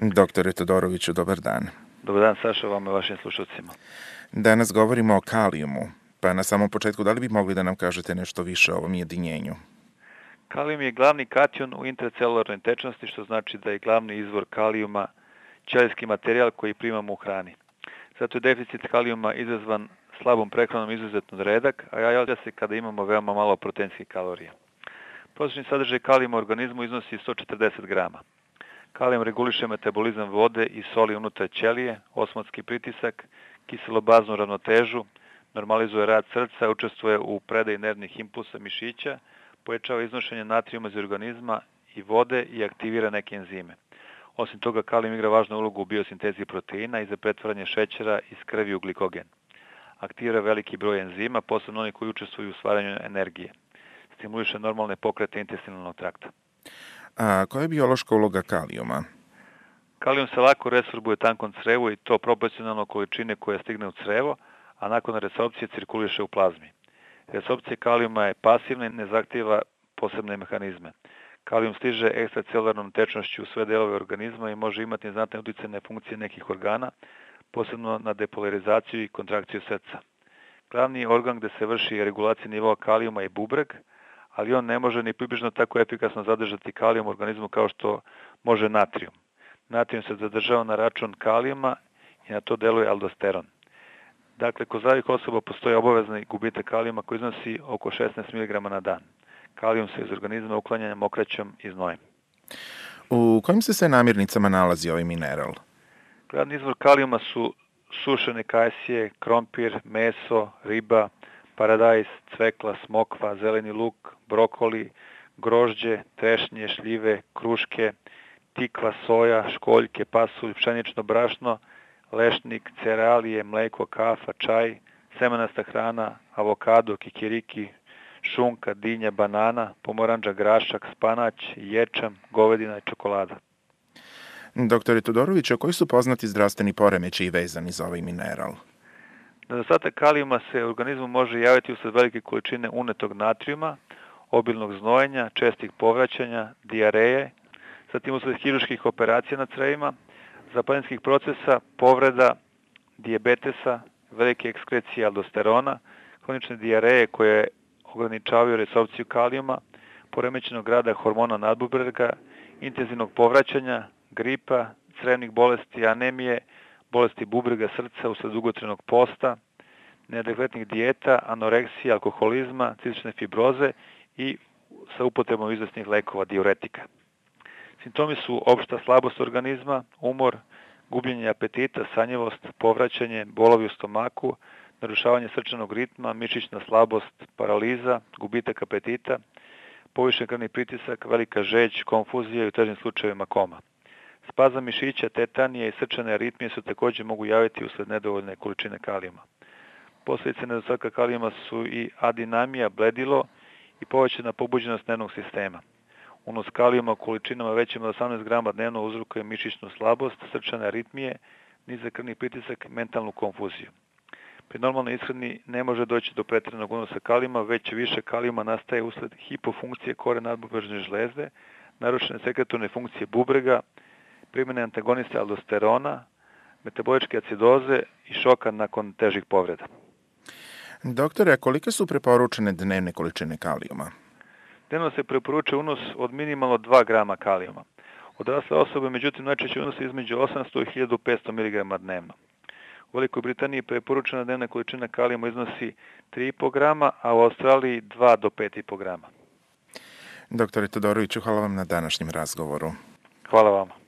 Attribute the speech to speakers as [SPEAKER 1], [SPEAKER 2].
[SPEAKER 1] Doktore Todoroviću, dobar dan.
[SPEAKER 2] Dobar dan, Saša, vama i vašim slušalcima.
[SPEAKER 1] Danas govorimo o kalijumu, pa na samom početku da li bi mogli da nam kažete nešto više o ovom jedinjenju?
[SPEAKER 2] Kalijum je glavni kation u intracelularnoj tečnosti, što znači da je glavni izvor kalijuma ćelijski materijal koji primamo u hrani. Zato je deficit kalijuma izazvan slabom prehranom izuzetno redak, a javlja se kada imamo veoma malo proteinskih kalorija. Prosječni sadržaj kalijuma u organizmu iznosi 140 grama. Kalijum reguliše metabolizam vode i soli unutar ćelije, osmotski pritisak, kiselobaznu ravnotežu, normalizuje rad srca, učestvuje u predaji nervnih impulsa mišića, pojačava iznošenje natrijuma iz organizma i vode i aktivira neke enzime. Osim toga, kalijum igra važnu ulogu u biosintezi proteina i za pretvaranje šećera iz krvi u glikogen. Aktivira veliki broj enzima, posebno oni koji učestvuju u stvaranju energije. Stimuliše normalne pokrete intestinalnog trakta.
[SPEAKER 1] A koja je biološka uloga kalijuma?
[SPEAKER 2] Kalijum se lako resorbuje tankom crevu i to proporcionalno količine koja stigne u crevo, a nakon resorpcije cirkuliše u plazmi. Resorpcija kalijuma je pasivna i ne zahtijeva posebne mehanizme. Kalijum stiže ekstracelularnom tečnošću u sve delove organizma i može imati znatne utjecaj na funkcije nekih organa, posebno na depolarizaciju i kontrakciju srca. Glavni organ gde se vrši regulacija nivoa kalijuma je bubreg, ali on ne može ni približno tako efikasno zadržati kalijum u organizmu kao što može natrijum. Natrijum se zadržava na račun kalijuma i na to deluje aldosteron. Dakle, kod zdravih osoba postoji obavezni gubitak kalijuma koji iznosi oko 16 mg na dan. Kalijum se iz organizma uklanja mokraćom i znojem.
[SPEAKER 1] U kojim se sve namirnicama nalazi ovaj mineral?
[SPEAKER 2] Glavni izvor kalijuma su sušene kajsije, krompir, meso, riba, paradajz, cvekla, smokva, zeleni luk, brokoli, grožđe, trešnje, šljive, kruške, tikva, soja, školjke, pasulj, pšenično brašno, lešnik, cerealije, mleko, kafa, čaj, semenasta hrana, avokado, kikiriki, šunka, dinja, banana, pomorandža, grašak, spanać, ječam, govedina i čokolada.
[SPEAKER 1] Doktore Todoroviću, koji su poznati zdravstveni poremećaji vezani za ovaj mineral?
[SPEAKER 2] Nedostatak kalijuma se u organizmu može javiti usled velike količine unetog natrijuma, obilnog znojenja, čestih povraćanja, dijareje, zatim usled hirurških operacija na crevima, zapaljenskih procesa, povreda, dijabetesa, velike ekskrecije aldosterona, hronične dijareje koje ograničavaju resorpciju kalijuma, poremećenog rada hormona nadbubrega, intenzivnog povraćanja, gripa, crevnih bolesti, anemije, bolesti bubrega, srca usled dugotrenog posta, neadekvatnih dijeta, anoreksije, alkoholizma, cistične fibroze i sa upotrebom izvesnih lekova, diuretika. Simptomi su opšta slabost organizma, umor, gubljenje apetita, sanjivost, povraćanje, bolovi u stomaku, narušavanje srčanog ritma, mišićna slabost, paraliza, gubitak apetita, povišen krvni pritisak, velika žeđ, konfuzija i u težim slučajevima koma. Spazam mišića, tetanije i srčane aritmije se također mogu javiti usled nedovoljne količine kalijuma. Posljedice nedostatka kalijuma su i adinamija, bledilo i povećana pobuđenost nervnog sistema. Unos kalijuma u količinama većim od 18 grama dnevno uzrokuje mišićnu slabost, srčane aritmije, nizak krvni pritisak, mentalnu konfuziju. Pri normalnoj ishrani ne može doći do pretjeranog unosa kalijuma, već više kalijuma nastaje usled hipofunkcije kore nadbubrežne žlezde, narušene sekretorne funkcije bubrega, primjene antagoniste aldosterona, metaboličke acidoze i šoka nakon težih povreda.
[SPEAKER 1] Doktore, a kolike su preporučene dnevne količine kalijuma?
[SPEAKER 2] Dnevno se preporučuje unos od minimalno 2 grama kalijuma. Odrasle osobe, međutim, najčešće unose između 800 i 1500 mg dnevno. U Velikoj Britaniji preporučena dnevna količina kalijuma iznosi 3,5 grama, a u Australiji 2 do 5,5 grama.
[SPEAKER 1] Doktore Todoroviću, hvala vam na današnjem razgovoru.
[SPEAKER 2] Hvala vama.